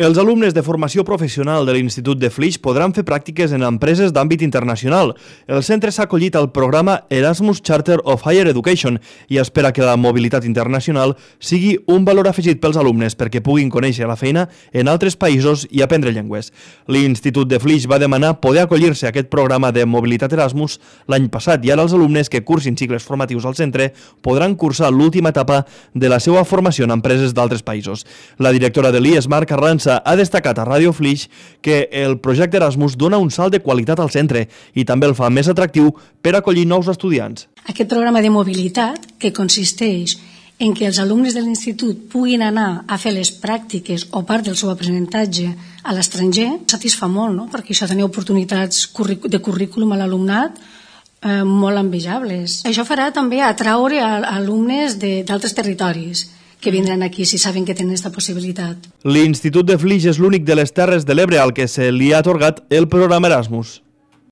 Els alumnes de formació professional de l'Institut de Flix podran fer pràctiques en empreses d'àmbit internacional. El centre s'ha acollit al programa Erasmus Charter of Higher Education i espera que la mobilitat internacional sigui un valor afegit pels alumnes perquè puguin conèixer la feina en altres països i aprendre llengües. L'Institut de Flix va demanar poder acollir-se a aquest programa de mobilitat Erasmus l'any passat i ara els alumnes que cursin cicles formatius al centre podran cursar l'última etapa de la seva formació en empreses d'altres països. La directora de l'IES, Mar Carranza, ha destacat a Ràdio Flix que el projecte Erasmus dona un salt de qualitat al centre i també el fa més atractiu per acollir nous estudiants. Aquest programa de mobilitat, que consisteix en que els alumnes de l'institut puguin anar a fer les pràctiques o part del seu aprenentatge a l'estranger, satisfà molt, no? Perquè això tenia oportunitats de currículum a l'alumnat molt envejables. Això farà també atraure alumnes d'altres territoris que vindran aquí si saben que tenen aquesta possibilitat. L'Institut de Flix és l'únic de les Terres de l'Ebre al que se li ha atorgat el programa Erasmus.